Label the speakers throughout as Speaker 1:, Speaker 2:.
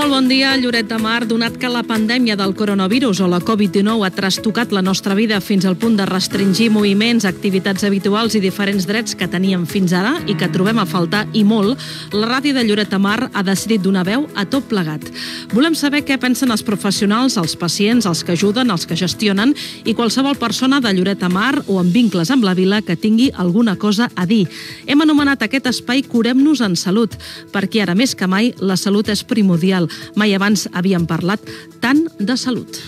Speaker 1: Molt bon dia, Lloret de Mar. Donat que la pandèmia del coronavirus o la Covid-19 ha trastocat la nostra vida fins al punt de restringir moviments, activitats habituals i diferents drets que teníem fins ara i que trobem a faltar i molt, la ràdio de Lloret de Mar ha decidit donar veu a tot plegat. Volem saber què pensen els professionals, els pacients, els que ajuden, els que gestionen i qualsevol persona de Lloret de Mar o amb vincles amb la vila que tingui alguna cosa a dir. Hem anomenat aquest espai Curem-nos en Salut, perquè ara més que mai la salut és primordial. Mai abans havíem parlat tant de salut.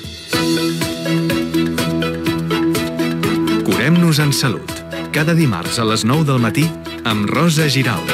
Speaker 2: Curem-nos en Salut. Cada dimarts a les 9 del matí amb Rosa Giralt.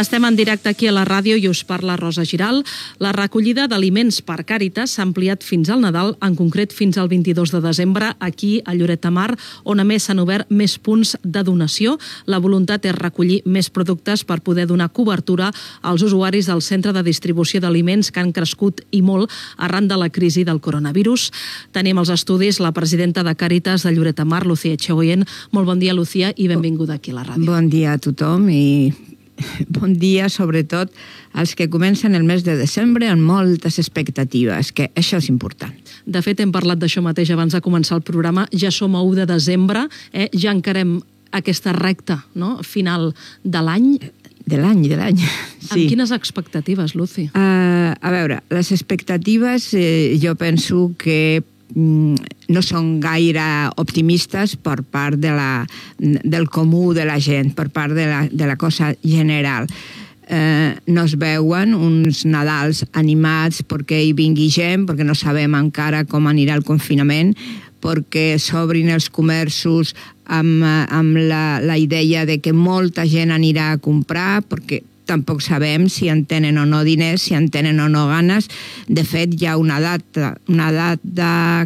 Speaker 1: Estem en directe aquí a la ràdio i us parla Rosa Giralt. La recollida d'aliments per Càritas s'ha ampliat fins al Nadal, en concret fins al 22 de desembre, aquí a Lloret de Mar, on a més s'han obert més punts de donació. La voluntat és recollir més productes per poder donar cobertura als usuaris del centre de distribució d'aliments que han crescut i molt arran de la crisi del coronavirus. Tenim als estudis la presidenta de Càritas de Lloret de Mar, Lucía Echegoyen. Molt bon dia, Lucía, i benvinguda aquí a la ràdio.
Speaker 3: Bon dia a tothom i bon dia, sobretot, als que comencen el mes de desembre amb moltes expectatives, que això és important.
Speaker 1: De fet, hem parlat d'això mateix abans de començar el programa. Ja som a 1 de desembre, ja encarem aquesta recta final de l'any.
Speaker 3: De l'any, sí.
Speaker 1: Amb quines expectatives, Lucy?
Speaker 3: A veure, les expectatives jo penso que no són gaire optimistes per part del comú de la gent, per part de la cosa general. No es veuen uns Nadals animats perquè hi vingui gent, perquè no sabem encara com anirà el confinament, perquè s'obrin els comerços amb la idea de que molta gent anirà a comprar, perquè tampoc sabem si en tenen o no diners, si en tenen o no ganes. De fet, hi ha una data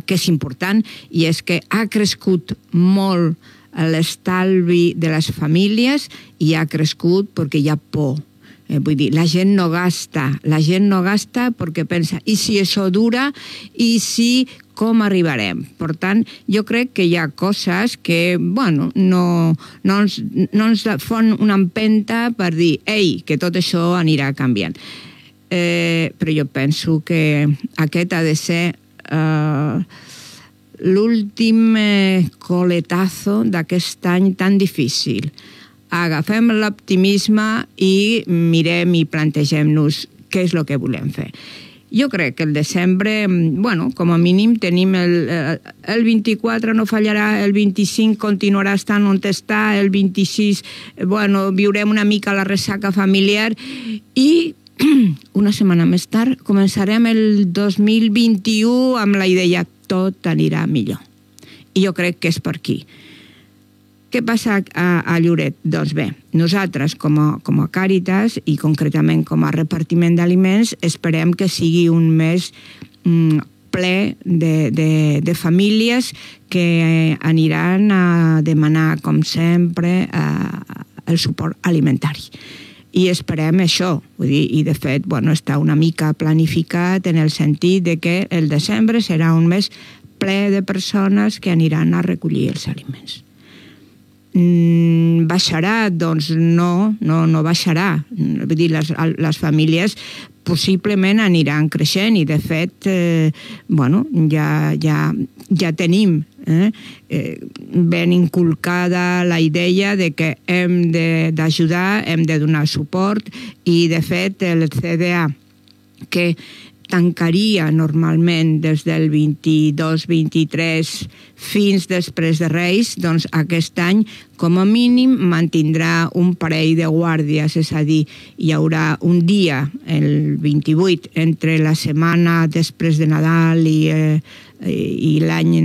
Speaker 3: que és important i és que ha crescut molt l'estalvi de les famílies i ha crescut perquè hi ha por. Vull dir, la gent no gasta perquè pensa, i si això dura, i si com arribarem? Per tant, jo crec que hi ha coses que, bueno, no ens fan una empenta per dir, ei, que tot això anirà canviant. Però jo penso que aquest ha de ser l'últim coletazo d'aquest any tan difícil. Agafem l'optimisme i mirem i plantegem-nos què és el que volem fer. Jo crec que el desembre, bueno, com a mínim tenim el 24 no fallarà, el 25 continuarà estant on està, el 26, bueno, viurem una mica la ressaca familiar i una setmana més tard començarem el 2021 amb la idea tot anirà millor. I jo crec que és per aquí. Què passa a Lloret? Doncs bé, nosaltres com a Càritas i concretament com a repartiment d'aliments esperem que sigui un mes ple de famílies que aniran a demanar, com sempre, el suport alimentari. I esperem això, vull dir, i de fet, bueno, està una mica planificat en el sentit de que el desembre serà un mes ple de persones que aniran a recollir els aliments. Baixarà? Doncs no baixarà. Vull dir, les famílies possiblement aniran creixent i de fet bueno, ja tenim ben inculcada la idea de que hem d'ajudar, hem de donar suport i de fet el CDA que tancaria normalment des del 22-23 fins després de Reis, doncs aquest any com a mínim mantindrà un parell de guàrdies, és a dir, hi haurà un dia, el 28, entre la setmana després de Nadal i l'any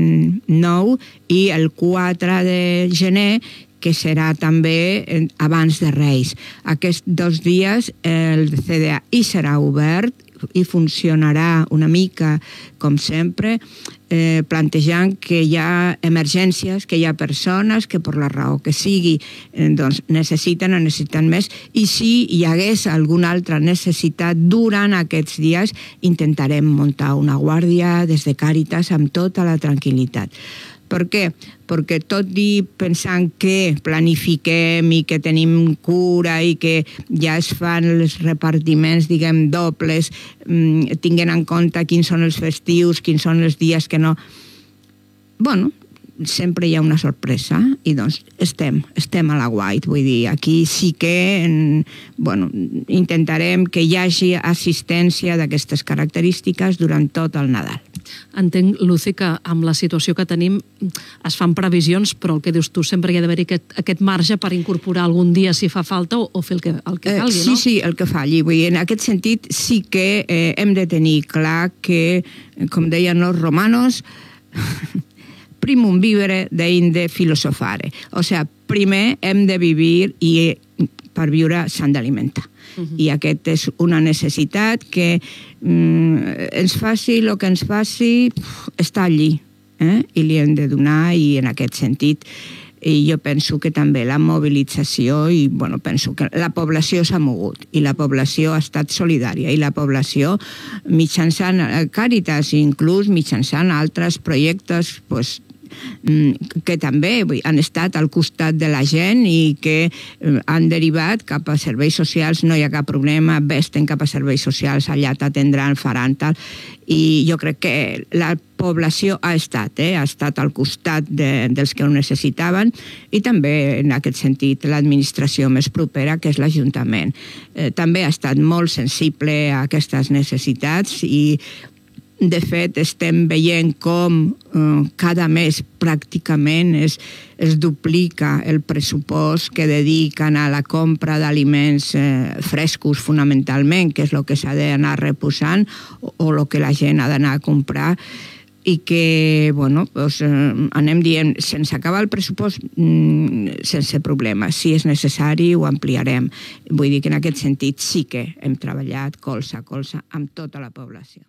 Speaker 3: nou i el 4 de gener, que serà també abans de Reis. Aquests 2 dies el CDA hi serà obert i funcionarà una mica, com sempre, plantejant que hi ha emergències, que hi ha persones que per la raó que sigui doncs necessiten més i si hi hagués alguna altra necessitat durant aquests dies intentarem muntar una guàrdia des de Càritas amb tota la tranquil·litat. Per què? Perquè tot i pensant que planifiquem i que tenim cura i que ja es fan els repartiments, diguem, dobles, tinguent en compte quins són els festius, quins són els dies que no... Bueno, sempre hi ha una sorpresa i doncs estem a la guait, vull dir, aquí sí que intentarem que hi hagi assistència d'aquestes característiques durant tot el Nadal.
Speaker 1: Entenc, Lucy, que amb la situació que tenim es fan previsions, però el que dius tu, sempre hi ha d'haver-hi aquest marge per incorporar algun dia si fa falta o fer el que calgui, no?
Speaker 3: Sí, el que falli. Vull dir, en aquest sentit sí que hem de tenir clar que, com deien els romanos, primum vivere deinde filosofare. O sigui, primer hem de vivir i per viure s'han d'alimentar. I aquest és una necessitat que ens faci el que ens faci, està allí, i li hem de donar, i en aquest sentit jo penso que també la mobilització, i penso que la població s'ha mogut, i la població ha estat solidària, i la població mitjançant Càritas, inclús mitjançant altres projectes, que també han estat al costat de la gent i que han derivat cap a serveis socials, no hi ha cap problema, vés-te'n cap a serveis socials, allà t'atendran, faran tal, i jo crec que la població ha estat al costat dels que ho necessitaven, i també en aquest sentit l'administració més propera, que és l'Ajuntament. També ha estat molt sensible a aquestes necessitats i de fet, estem veient com cada mes pràcticament es duplica el pressupost que dediquen a la compra d'aliments frescos fonamentalment, que és el que s'ha d'anar reposant o el que la gent ha d'anar a comprar, i que, anem dient, sense acabar el pressupost, sense problema. Si és necessari, ho ampliarem. Vull dir que en aquest sentit sí que hem treballat colze a colze amb tota la població.